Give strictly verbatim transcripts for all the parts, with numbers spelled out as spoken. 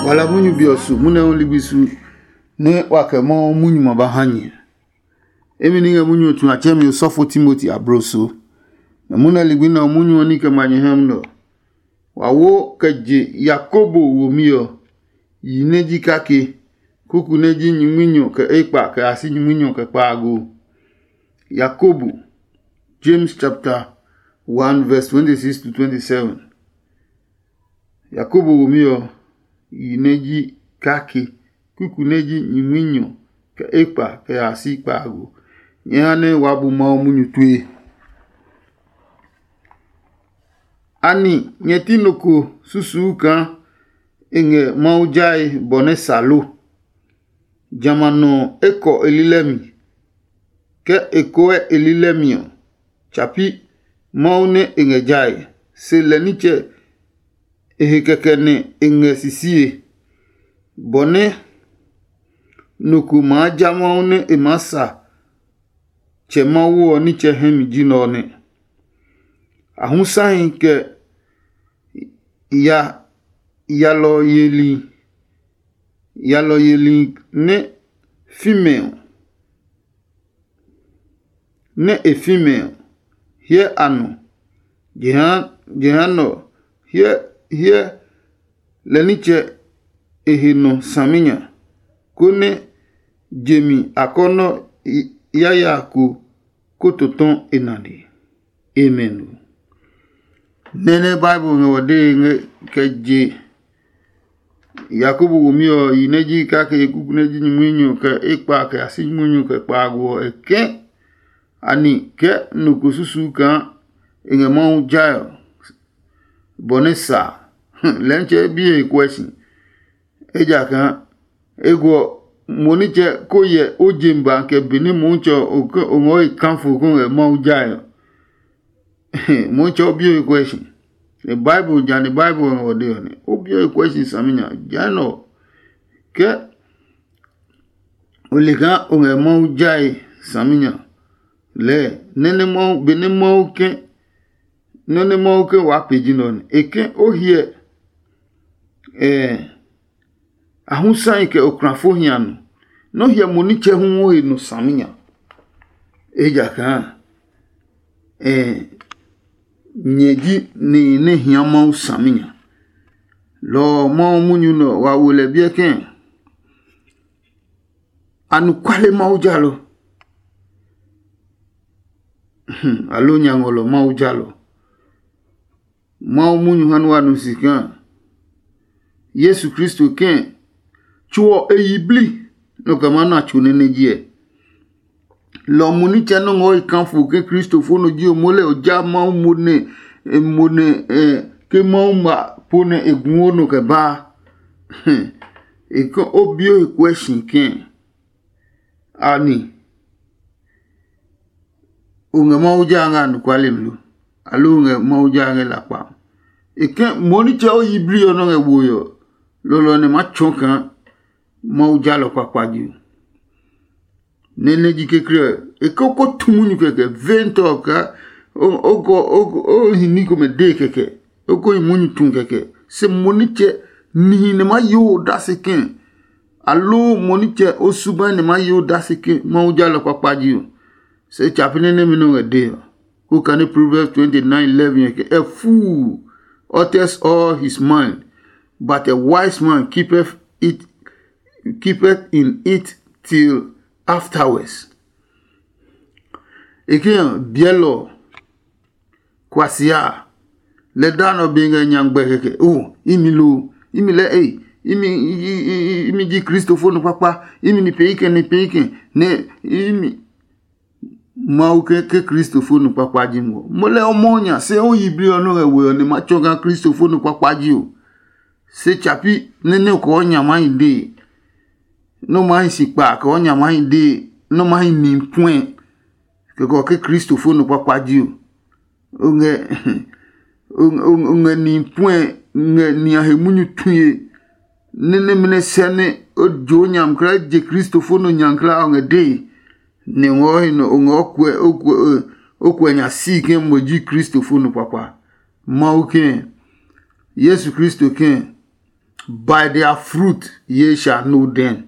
Wala munyu be ɔ su munyu ɔ ligbi su nɛ wa kɛ Mawu munyu ma ba ha nyɛ. Emi ni ngɛ munyu ɔ tsu a tsɛmi osɔfo Timoti abloso. Nɛ munyu ligbi nɛ ɔ munyu ɔ ní kɛ ma nyɛ hɛm nɛ ɔ, wa wo kɛ je Yakobo womi ɔ, yi nɛ ji kake, kuku nɛ ji nyingminyɔ kɛ ekpa kɛ ya si nyingminyɔ kɛ kpaago. Yakobo, James chapter one verse twenty-six to twenty-seven. Yakobo womi ɔ, yi nɛ ji kake, kuku nɛ ji nyingminyɔ kɛ ekpa kɛ ya si kpaago. Nyɛ ha nɛ wa bu Mawu munyu tue. Ani nyɛ ti nɔ ko susuu kaa e ngɛ Mawu jae bɔ nɛ sa lo? Jamɛ a nɔ e kɔ e lilɛ mi, ke e koɛ e lilɛ mi ɔ, tsa pi Mawu nɛ e ngɛ jae, se lɛ nitsɛ e he kɛkɛ nɛ e ngɛ sisie, bɔ nɛ nɔ ko maa ja Mawu nɛ e maa sa Tsɛ Mawu ɔ nitsɛ hɛ mi ji nɛ ɔ nɛ. A hu sahi kɛ ya yalɔ yeli yalɔ yeli nɛ fi mɛ ɔ, nɛ e fi mɛ ɔ, hyɛ a nɔ. Jehanɛ ɔ, hyɛ hyɛ lɛ nitsɛ e he nɔ saminya, konɛ je mi akɔnɔ yaya ko ko totɔ e nane. Amen. Nɛnɛ Bible ngɛ wɔ dee ngɛ kɛ je Yakobo womi ɔ yi nɛ ji kake kuku nɛ ji nyumunyɔ kɛ ekpa kɛ ya si nyumunyɔ kɛ kpaago ɔ, e kɛ̃ ani kɛ nɔ ko susu kaa e ngɛ Mawu jae ɔ, bɔ nɛ sa a, lɛɛ nitsɛ e bi he kuɛ si. Ejakaa e guɔ mo nitsɛ ko yɛ o je ba kɛ benɛ Motsɛ ɔ o ngɔ he kafo ko ngɛ Mawu jae ɔ. Motsɛ o bi o he kuɛ si. Bible ja ni Bible ngɛ wɔ de ɔ nɛ o bi o he kuɛ si saminya. Jehanɛ ɔ, ke o le kaa o ngɛ Mawu jae saminya lɛɛ nɛ nɛ Mawu benɛ Mawu ke nɔ nɛ Mawu ke waa pe ji nɛ ɔ nɛ e ke o hyɛ ɛɛ a hu sahi kɛ oklafo hia nɔ nɔ hyɛ mo nitsɛ hu wo he nɔ saminya. Ejakaa ɛɛ nyɛ ji nihi nɛ hia Mawu saminya. Lɔ ɔ Mawu munyu nɛ ɔ wa wo lɛ biɛ kɛ̃. Anɔkuale Mawu jalɔ. Aloo nya ngɔlɔ Mawu jalɔ. Mawu munyu ha nɛ wa nu si kaa Yesu Kristo kɛ̃ tso ɔ e yiblii nɔ kɛ maa na tso nɛ nɛ jiɛ. Lɔ ɔ mo nitsɛ nɔ́ ngɔ he kafo ke kristofo nɔ ji o mo lɛ o ja Mawu mo nɛ mo nɛ ke Mawu ma po nɛ e guɔ nɔ kɛ baa. E ke o bio he kuɛ si kɛ̃ ani o ngɛ Mawu ja ngɛ anɔkuale mi lo? Aloo o ngɛ Mawu ja ngɛ lakpa? E ke mo nitsɛ o yiblii ɔ nɔ́ ngɛ woe ɔ, lɔlɔ nɛ ma tsɔɔ kaa Mawu jalɔ kpakpa ji o. Nɛ nɛ ji kekle ɔ, e ko ko tu munyu kɛkɛ ventɔ kaa o hi ní komɛ dee kɛkɛ, o ko hi munyu tu kɛkɛ. Se mo nitsɛ nihi nɛ ma yo odase kɛ̃, aloo mo nitsɛ o subai nɛ ma yo odase kɛ̃ Mawu jalɔ kpakpa ji o. Se tsa pi nɛ nɛmɛ nɛ o ngɛ dee ɔ. Ko kane Proverbs twenty nine eleven ɔ ke, a fool utters all his mind, but a wise man keepeth it keepeth in it till afterwards. E ke ɔ biɛlɔ kuasia lɛ da nɔ be ngɛ nya gbɛ kɛkɛ o imi lo imi lɛ ei imi imi ji kristofo nɔ kpakpa imi ni pee kɛ ni pee kɛ nɛ imi Mawu ke ke kristofo nɔ kpakpa ji mo mo lɛ o mɔ nya se o yi bli ɔ nɔ ngɛ we ɔ ne ma tsɔ ga kristofo nɔ kpakpa ji o. Se tsapi nɛ nɛ kɔɔ nya ma yi dee nɔ ma yi si kpa kɔɔ nya ma yi dee nɔ ma yi ni puɛ kɛkɛ ke kristofo nɔ kpakpa ji o. O ngɛ o ngɛ ni puɛ ngɛ ni a he munyu tue nɛ nɛ mɛnɛ sɛ nɛ o jo nyamkla je kristofo nɔ nyamkla o ngɛ dee nɛ ngɔ he nɔ o ngɛ o kuɛ o kuɛ o kuɛ nya si ke mo ji kristofo nɔ kpakpa. Mawu ke yesu kristo ke By their fruit ye shall know them.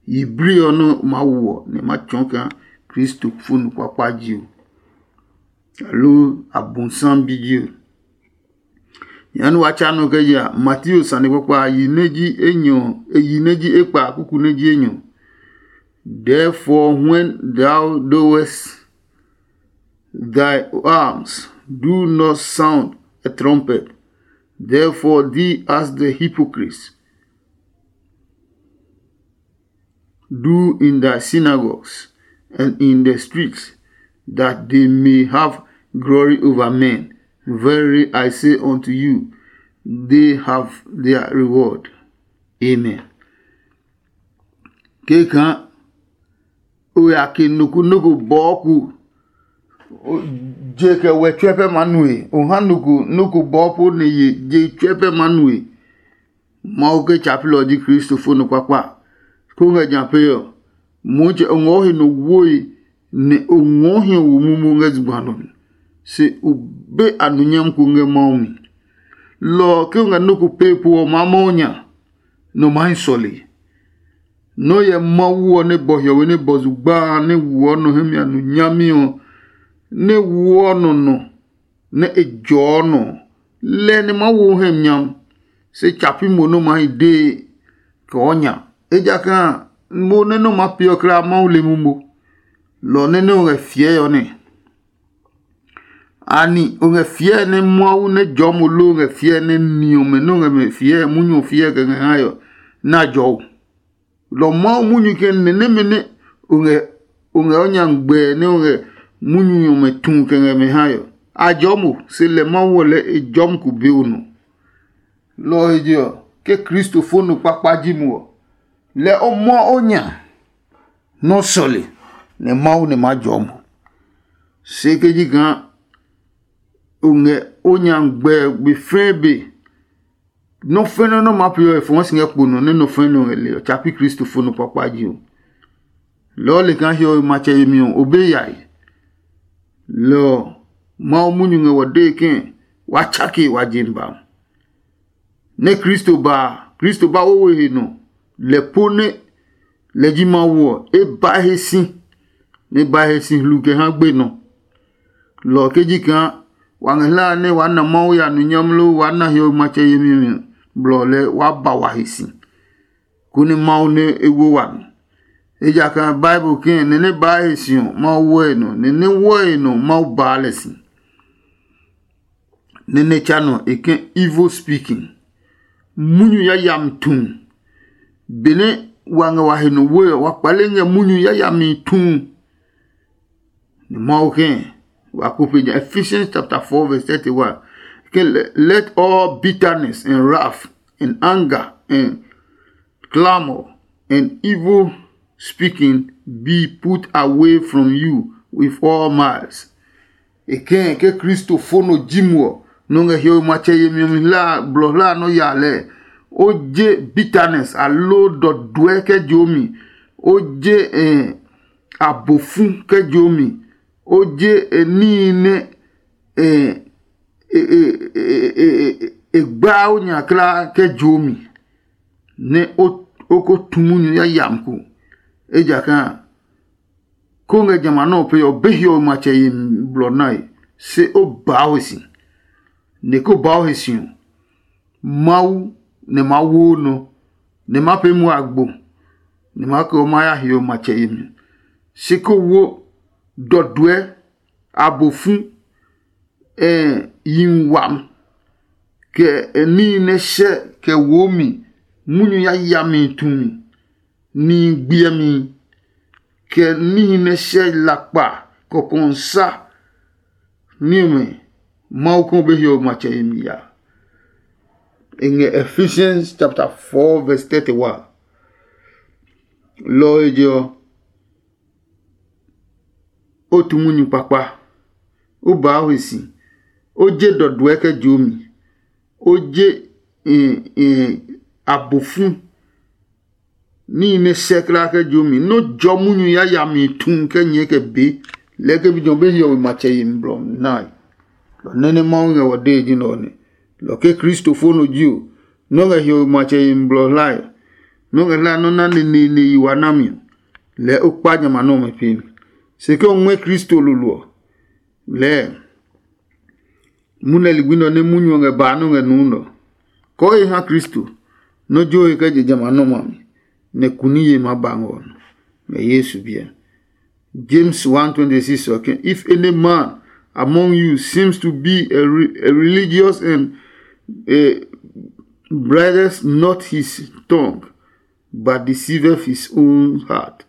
Yiblii ɔ nɛ ma wo ɔ nɛ ma tsɔɔ kaa Kristo fo nu kpakpa ji o, aloo Abonsam bi ji o. Jehanɛ wa tsa nɔ kɛ ya Mateo sane kpakpa a, yi nɛ ji enyɔ, e yi nɛ ji ekpa a, kuku nɛ ji enyɔ. Therefore, when thou doest thy alms, do not sound a trumpet, therefore thee as the hypocrites do in thy synagogues and in the streets, that they may have glory over men. Verily I say unto you, they have their reward. Amen. Keka o ya ke noko noko bɔɔ ku, je kɛ wɛ tsuɛ pɛ ma nue. O ha noko noko bɔɔ po ne ye je tsuɛ pɛ ma nue. Mawu ke tsa pi lɛ ɔ ji Kristo fo nɔ kpakpa. Ko ngɛ ja pee ɔ, Motsɛ o ngɔɔ he nɔ woe, nɛ o ngɔɔ hiɔ wo mumu ngɛ zugba nɔ mi, se o be anunyam ko ngɛ Mawu mi. Lɔ ɔ, ke o ngɛ nɔ́ ko pee po ɔ, maa Mawu nya, nɛ o maa hi sɔlee. Nɔ́ hyɛ Mawu ɔ nɛ bɔ hiɔwe nɛ bɔ zugba a nɛ woɔ nɔ hɛ mi a nu nyami ɔ, nɛ woɔ nɔ nɔ nɛ e jɔɔ nɔ ɔ, lɛ nɛ Mawu ɔ hɛ mi nyam, se tsa pi mo nɛ o maa hi dee kɛ o nya. Ejakaa a, mo nɛ nɔ́ maa peeɔ kulaa Mawu le mumo, lɔ ɔ nɛ nɛ o ngɛ fiɛe ɔ nɛ. Anɛ o ngɛ fiɛe nɛ Mawu nɛ jɔɔ mo loo o ngɛ fiɛe nɛ ni ɔmɛ nɛ o ngɛ mɛ fiɛe munyu ɔ fiɛe kɛ ngɛ hae ɔ, nɛ a jɔɔ o? Lɔ Mawu munyu kɛ nɛ nɛmɛ nɛ o ngɛ o ngɛ o nya ngmɛɛ nɛ o ngɛ munyu ɔmɛ tu kɛ ngɛ mɛ hae ɔ, a jɔɔ mo, se lɛ Mawu ɔ lɛɛ e jɔmi ko be o nɔ. Lɔ ɔ he je ɔ, ke Kristo fo nɔ kpakpa ji mo ɔ, lɛ o mɔ o nya nɛ o sɔle, nɛ Mawu nɛ maa jɔɔ mo. Se ke ji kaa o ngɛ o nya ngmɛɛ gbe fɛɛ be, nɔ́ fɛnɛ nɔ́ maa pee ɔ, e fɔɔ si ngɛ kpo nɔ nɛ nɔ fɛnɛ nɔ ngɛ le ɔ, tsa pi Kristo fo nɔ kpakpa ji o. Lɔ ɔ le kaa hiɔwe matsɛ yemi ɔ, o be yae. Lɔ ɔ, Mawu munyu ngɛ wɔ dee ke wa tsake wa je mi ba. Nɛ Kristo ba a, Kristo ba wowe he nɔ, lɛ po nɛ lɛ ji Mawu ɔ, e ba he si, nɛ e ba he si hlu kɛ ha gbe nɔ. Lɔ ɔ ke ji kaa wa ngɛ hlaa nɛ waa na Mawu ya nɔ nyami loo waa na hiɔwe matsɛ yemi ɔ, blɔ ɔ lɛɛ waa ba wa he si, konɛ Mawu nɛ e wo wami. Ejakaa Bible kɛɛ nɛ nɛ baa he si ɔ, Mawu wɔe nɔ, nɛ nɛ wɔe nɔ, Mawu baa lɛ si. Nɛ nɛ tsa nɔ e kɛ evil speaking. Munyu yayami tu. Benɛ wa ngɛ wa he nɔ woe ɔ, wa kpale ngɛ munyu yayami tu. Nɛ Mawu kɛ wa ko pe nya Ephesians chapter four verse thirty-one. Ke let all bitterness and wrath and anger and clamor and evil speaking be put away from you with all malice. E kɛɛ ke Kristo fo nɔ ji mo ɔ, nɔ ngɛ hiɔwe matsɛ yemi ɔ mi hla blɔ hla nɔ ya lɛɛ. O je bitterness aloo dɔduɛ kɛ jo mi. O je eh, abofu kɛ jo mi. O je eh, níhi nɛ eh, e, e, e, e, e, e gbaa o nya kulaa kɛ jo mi, nɛ o, o ko tu munyu yayami ko. Ejakaa ko ngɛ jamɛ a nɔ́ ɔ pee ɔ, be hiɔwe matsɛ yemi blɔ nae, se o baa o he si. Nɛ ko baa o he si ɔ, Mawu nɛ maa wo o nɔ, nɛ maa pee muɔ agbo, nɛ maa kɛ o maa ya hiɔwe matsɛ yemi. Se ko wo dɔduɛ, abofu, ɛ yi wam, kɛ ɛ níhi nɛ hyɛ kɛ woo mi, munyu yayami tumi, nihi gbiɛmi, kɛ níhi nɛ hyɛ lakpa kɔkɔnsa ní ɔmɛ, Mawu kɔ be hiɔwe matsɛ yemi ya. E ngɛ Ephesians chapter four verse thirty-one. Lɔ ɔ he je ɔ, o tu munyu kpakpa, o baa o he si, o je dɔduɛ kɛ joo mi, o je abofu níhi nɛ sɛ kulaa kɛ joo mi, nɛ o jɔ munyu yayami tu kɛ nyɛɛ kɛ be, lɛɛ ke bi jɔ be hiɔwe matsɛ yemi blɔ nae. Lɔ nɛ nɛ Mawu ngɛ wɔ dee ji nɛ ɔ nɛ. Lɔ ke Kristo fo nɔ ji o, nɔ́ ngɛ hiɔwe matsɛ yemi blɔ hlae, nɔ́ ngɛ hlae nɔ́ na neneene yi wa nami ɔ, lɛɛ o kpa jamɛ a nɔ́ ɔmɛ pee mi. Se ke o ngmɛ́ Kristo lolo ɔ, lɛɛ munɛ ligbi nɛ ɔ nɛ munyu ɔ ngɛ baa nɔ́ ngɛ nuu nɛ ɔ, kɔɔhi ha Kristo nɔ́ jo he kɛ je jamɛ a nɔ́ ɔmɛ a mi, nɛ kuniye maa ba ngɛ ɔ nɔ ngɛ Yesu biɛ. James one twenty-six ɔ ke, "If any man among you seems to be a, re- a religious and a bridles not his tongue, but deceiveth his own heart,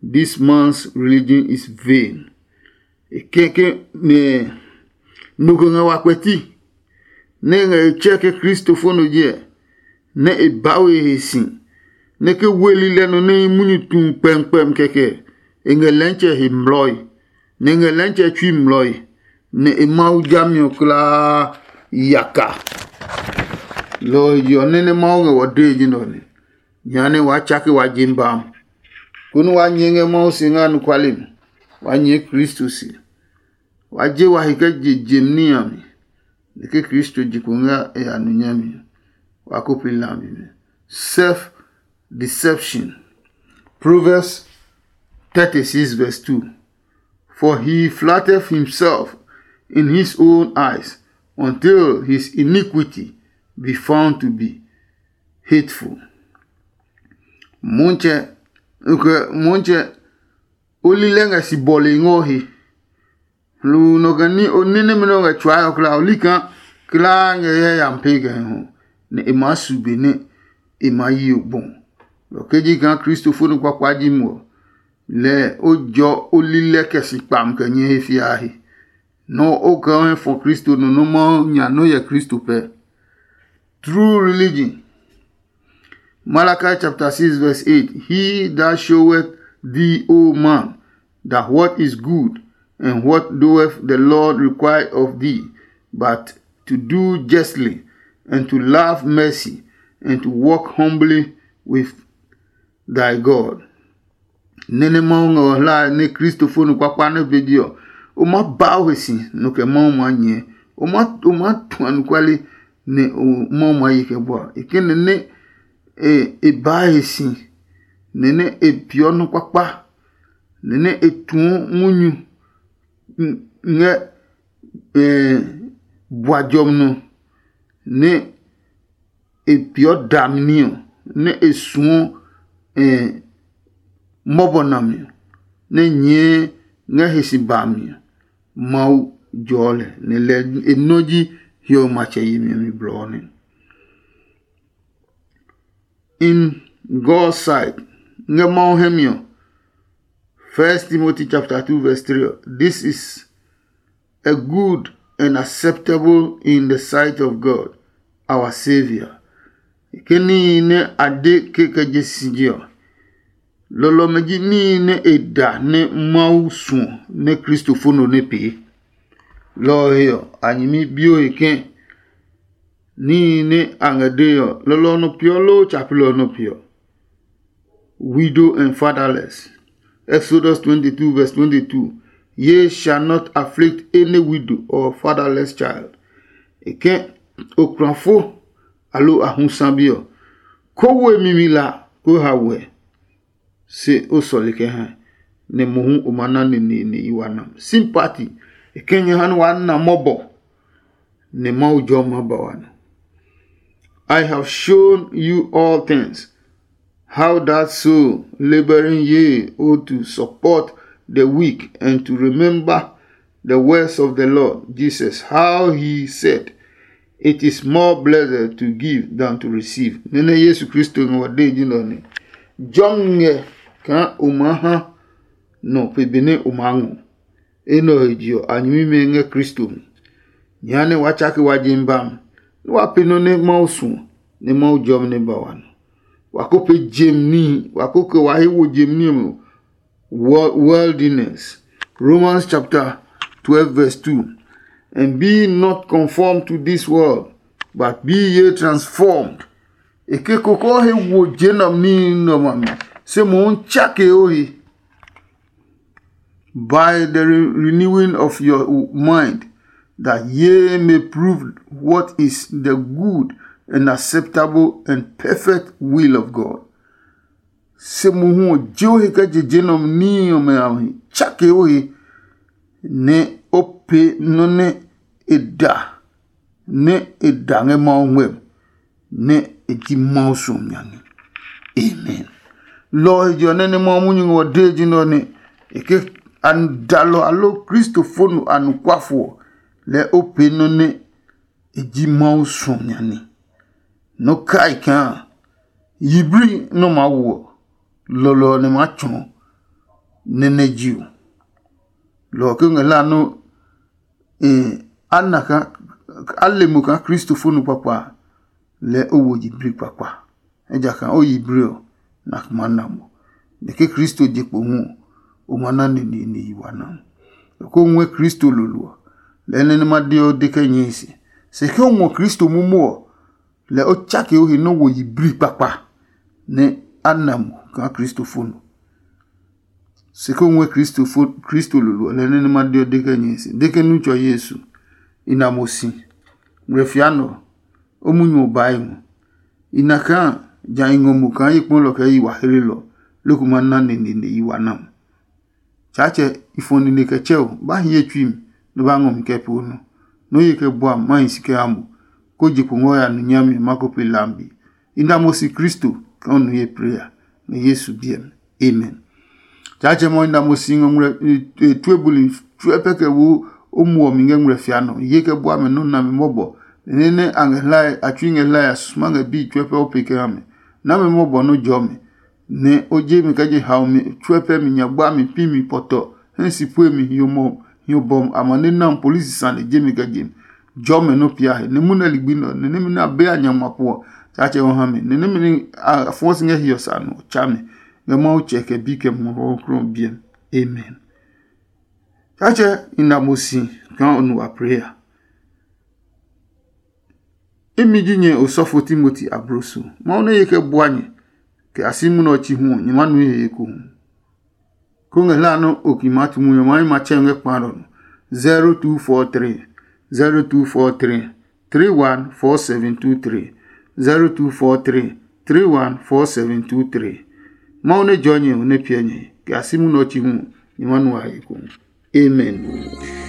this man's religion is vain." E kɛkɛ nɛ nɔ ko ngɛ wa kpɛti nɛ e ngɛ e tsɛ ke kristofo no jɛ, nɛ e ba we he si, nɛ ke weli lɛ nɔ nɛ munyu tu kpɛmkpɛm kɛkɛ, e ngɛ lɛntsɛ he mlɔi, nɛ e ngɛ lɛntsɛ tsui mlɔi, nɛ e Mawu jami ɔ kulaa yaka. Lɔ ɔ je ɔ, nɛ nɛ Mawu ngɛ wɔ dee ji nɛ ɔ nɛ. Jehanɛ waa tsake wa je bam, konɛ waa nyɛɛ ngɛ Mawu se ngɛ anɔkuale mi. Waa nyɛɛ Kristo se. Waa je wa he kɛ je jem ní a mi, nɛ ke Kristo je kpo ngɛ e ya nu nyami ɔ, waa ko pee lambi mi. Self deception. Proverbs thirty-six verse two. For he flatters himself in his own eyes until his iniquity be found to be hateful. Motsɛ, okay, motsɛ, o li lɛ ngɛ si bɔle ngɔ he. Hluu nɔ kɛ ní o ní nɛmɛ nɛ o ngɛ tsuaa ɔ kulaa, o li kaa kulaa ngɛ yayami pee kɛ ho, nɛ e maa su be nɛ e maa yi o gbɔ. Lɔ kɛ ji kaa kristofo nɔ kpakpa ji mo ɔ, lɛ o jɔ o li lɛ kɛ si kpam kɛ nyɛ he fiaa he. Nɔ o kɛ o hɛ fɔ Kristo nɔ nɔ́ Mawu nya nɔ́ hyɛ Kristo pɛ. True religion. Malachi chapter six verse eight. He that showeth thee, O man, that what is good, and what doeth the Lord require of thee, but to do justly, and to love mercy, and to walk humbly with thy God. Nɛ́ nɛ Mawu ngɛ o hlae nɛ kristofo nɔ kpakpa nɛ be je ɔ, o maa ba o he si nɔ kɛ Mawu maa nyɛɛ. O maa o maa tu anɔkuale nɛ o Mawu maa ye kɛ bua. E kɛ nɛ nɛ e e baa he si, nɛ nɛ e peeɔ nɔ kpakpa, nɛ nɛ e tuɔ munyu ngɛ bua jɔmi nɔ, nɛ e peeɔ dami ní ɔ, nɛ e suɔ mɔbɔ nami ɔ, nɛ nyɛɛ ngɛ he si bami ɔ, Mawu jɔɔ lɛ, nɛ lɛ e nɔ ji hiɔwe matsɛ yemi ɔ mi blɔ ɔ nɛ. In God's sight, ngɛ Mawu hɛ mi ɔ, First Timothy chapter two verse three ɔ, this is a good and acceptable in the sight of God, our Savior. Ke níhi nɛ a de ke kɛ je si je ɔ, lɔlɔmɛ ji níhi nɛ e da nɛ Mawu suɔ nɛ kristofo no nɛ pee. Lɔ ɔ he ɔ, a nyɛmi bi o he ke níhi nɛ a ngɛ dee ɔ, lɔlɔ ɔ nɔ peeɔ loo tsa pilɔ ɔ nɔ peeɔ. Widow and fatherless. Exodus twenty-two verse twenty-two. Ye shall not afflict any widow or fatherless child. E kɛ okrafo alo ahusa bi ɔ, ko wo e mimi la ko ha wɛ, se o sɔle kɛ ha, nɛ mohu o ma na neneene i wa na. Sympathy. E kɛ nyɛ ha nɛ wa na mɔbɔ, nɛ Mawu jɔ ma ba wa nɔ. I have shown you all things, how that soul laboring ye ought to support the weak and to remember the words of the Lord Jesus, how he said, "It is more blessed to give than to receive." Nene Yesu Kristo ngɛ wa de ji nɔ ne. Jɔm ngɛ kaa o maa ha nɔ pe benɛ o maa ngɔ. Enɛ ɔ he je ɔ, a nyɛmimɛ ngɛ Kristo mi. Jehanɛ wa tsake wa je bam, nɛ wa pee nɔ́ nɛ Mawu suɔ, nɛ Mawu jɔmi nɛ ba wa nɔ. Wa ko pee jem níhi, wa ko kɛ wa he wo jem ní ɔmɛ worldliness. Romans chapter twelve verse two. And be not conformed to this world, but be ye transformed. E ke koko he wo je nɔ níhi nɔ ma mi, se mohu tsake o he. By the re- renewing of your mind, that ye may prove what is the good and acceptable and perfect will of God. Se mohu ɔ, je o he kɛ je je nɛ ɔmɛ níhi ɔmɛ a he, tsake o he, nɛ o pee nɔ́ nɛ e da, nɛ e da ngɛ Mawu ngmɛmi, nɛ e ji Mawu suɔmi nya ní. Amen. Lɔ ɔ he je ɔ, nɛ nɛ Mawu munyu ngɛ ɔ dee ji nɛ ɔ nɛ e ke a dalɔ alo Kristofo nu anɔkuafo ɔ, lɛɛ o pee nɔ́ nɛ e ji Mawu suɔmi nya ní. Nɔ kai kaa yiblii nɔ maa wo ɔ, lɔlɔ ɔ nɛ maa tsɔɔ nɛ nɛ ji o. Lɔ ɔ ke ngɛ hla nɔ́ a na kaa a le mo kaa Kristofo nɔ kpakpa a, lɛɛ o wo yiblii kpakpa. Ejakaa o yiblii ɔ, na kuma na mo. Nɛ ke Kristo je kpo hu ɔ, o ma na neneene yi wa na. Ko ngɔɛ Kristo lolo ɔ, lɛɛ nɛ nɛ ma de ɔ de kɛ nyɛe se. Se ke o ngɔ Kristo momo ɔ, lɛ o tsake o he nɔ́ wo yiblii kpakpa nɛ a na mo kaa Kristofo nɔ. Se ko ngɔɛ Kristofo Kristo lolo ɔ, lɛ nɛ nɛ ma de ɔ de kɛ nyɛe se. De ke nu tsɔ Yesu, i na mo si. Ngmlɛ fia nɔ, o munyu ɔ baa i ngɔ. I na kaa ja i ngɔ mo kaa ye kpɔlɔ kɛ yi wa hlelɔ, loko ma na neneene yi wa na mo. Tsaatsɛ, i fɔ nine kɛ tsɛ o, ba hi ye tsui mi, nɛ ba ngɔ mi kɛ pee o nɔ. Nɔ́ ye kɛ bua mi, ma hi si kɛ ha mo, kó je kpo ngɔ ya nu nyami ma ko pe lambi. I na mo si Kristo kɛ o nu ye plee a, ngɛ Yesu biɛ mi. Amen. Tsaatsɛ mɔ i na mo si ngɔ ngmlɛ tue buli tsuɛ pɛ kɛ wo o muɔ mi ngɛ ngmlɛ fia nɔ. Ye kɛ bua mi nɔ́ nami mɔbɔ, nɛ nɛ a ngɛ hlae a tsui ngɛ hlae a susuma ngɛ bii tsuɛ pɛ o pe kɛ ha mi. Nami mɔbɔ nɔ́ jɔ mi, nɛ o je mi kɛ je haomi tsuɛ pɛ mi nya gba mi pi mi pɔtɔ hɛ si pue mi hiɔ mɔ hiɔ bɔm amane nam polisi sane je mi kɛ je mi. Jɔ mɛ nɔ pia he ne mu nɛ ligbi nɔ ne nemi na be a nya ngma puɔ. Tsaatsɛ ɔ ha mi ne nemi ni a fɔɔ si ngɛ hiɔ sa nɔ tsa mi ngɛ Mawu tsɛ kɛ bi kɛ mɔ ɔ krɔ biɛ. Amen. Tsaatsɛ i na mo si kaa o nu wa prayer. Imi ji nyɛ osɔfo Timoti abloso. Mawu nɛ ye kɛ bua nyɛ kɛ a si munɛ ɔ chi hu ɔ, nyɛ ma nui he ekohu. Ko ngɛ hla nɔ́ o ki maa tu munyu ɔ, ma yi ma tsɛ ngɛ kpa nɔ. Zero two four three, zero two four three, three one four seven two three, zero two four three, three one four seven two three. Mawu nɛ jɔ nyɛ ɔ nɛ piɛ nyɛ kɛ a si munɛ ɔ chi hu ɔ, nyɛ ma nua he ekohu. Amen.